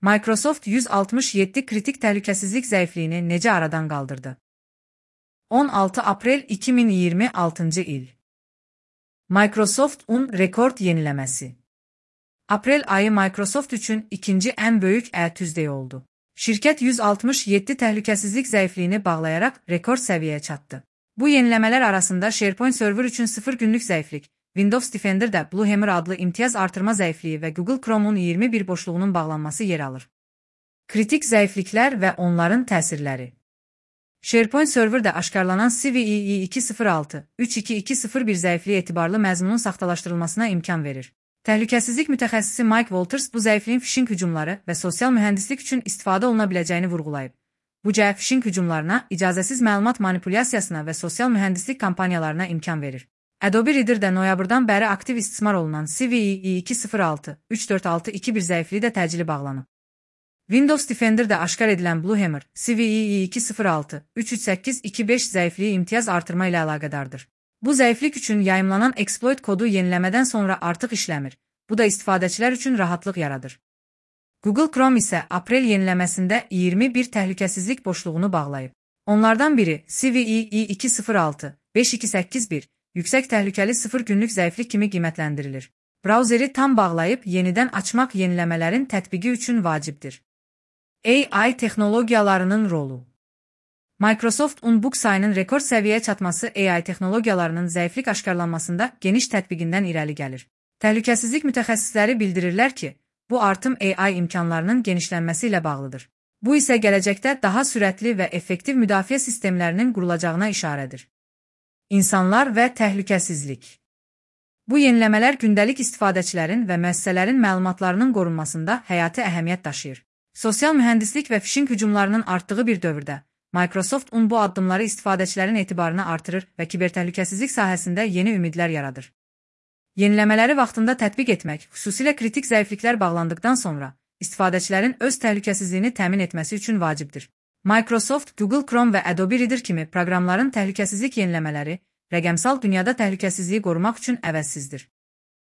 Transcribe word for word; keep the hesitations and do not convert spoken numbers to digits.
Microsoft yüz altmış yeddi kritik təhlükəsizlik zəifliyini necə aradan qaldırdı? on altı aprel iki min iyirmi altıncı il. Microsoft'un rekord yeniləməsi. Aprel ayı Microsoft üçün ikinci ən böyük ətüzdəyi oldu. Şirkət yüz altmış yeddi təhlükəsizlik zəifliyini bağlayaraq rekord səviyyəyə çatdı. Bu yeniləmələr arasında SharePoint server üçün sıfır günlük zəiflik, Windows Defender'da Bluehammer adlı imtiyaz artırma zəifliyi və Google Chrome'un iyirmi bir boşluğunun bağlanması yer alır. Kritik zəifliklər və onların təsirləri. SharePoint serverdə aşkarlanan C V E E iki yüz altı üç iki iki sıfır bir zəifliyi etibarlı məzmunun saxtalaşdırılmasına imkan verir. Təhlükəsizlik mütəxəssisi Mike Walters bu zəifliyin phishing hücumları və sosial mühəndislik üçün istifadə oluna biləcəyini vurğulayıb. Bu cəhət phishing hücumlarına, icazəsiz məlumat manipulyasiyasına və sosial mühəndislik kampaniyalarına imkan verir. Adobe Reader'də noyabrdan bəri aktiv istismar olunan C V E E iki yüz altı üç dörd altı iki bir zəifliyi də təcili bağlanıb. Windows Defender'da aşkar edilən Bluehammer, C V E E iki yüz altı üç üç səkkiz iki beş zəifliyi imtiyaz artırma ilə əlaqədardır. Bu zəiflik üçün yayımlanan exploit kodu yeniləmədən sonra artıq işləmir. Bu da istifadəçilər üçün rahatlıq yaradır. Google Chrome isə aprel yeniləməsində iyirmi bir təhlükəsizlik boşluğunu bağlayıb. Onlardan biri C V E E iki yüz altı beş iki səkkiz bir yüksək təhlükəli sıfır günlük zəiflik kimi qiymətləndirilir. Brauzeri tam bağlayıb yenidən açmaq yeniləmələrin tətbiqi üçün vacibdir. A I texnologiyalarının rolu. Microsoft'un book sayının rekord səviyyəyə çatması A I texnologiyalarının zəiflik aşkarlanmasında geniş tətbiqindən irəli gəlir. Təhlükəsizlik mütəxəssisləri bildirirlər ki, bu artım A I imkanlarının genişlənməsi ilə bağlıdır. Bu isə gələcəkdə daha sürətli və effektiv müdafiə sistemlərinin qurulacağına işarədir. İnsanlar və təhlükəsizlik. Bu yeniləmələr gündəlik istifadəçilərin və müəssisələrin məlumatlarının qorunmasında həyati əhəmiyyət daşıyır. Sosial mühəndislik və phishing hücumlarının artdığı bir dövrdə, Microsoft'un bu addımları istifadəçilərin etibarını artırır və kibertəhlükəsizlik sahəsində yeni ümidlər yaradır. Yeniləmələri vaxtında tətbiq etmək, xüsusilə kritik zəifliklər bağlandıqdan sonra, istifadəçilərin öz təhlükəsizliyini təmin etməsi üçün vacibdir. Microsoft, Google Chrome və Adobe Reader kimi proqramların təhlükəsizlik yeniləmələri, rəqəmsal dünyada təhlükəsizliyi qorumaq üçün əvəzsizdir.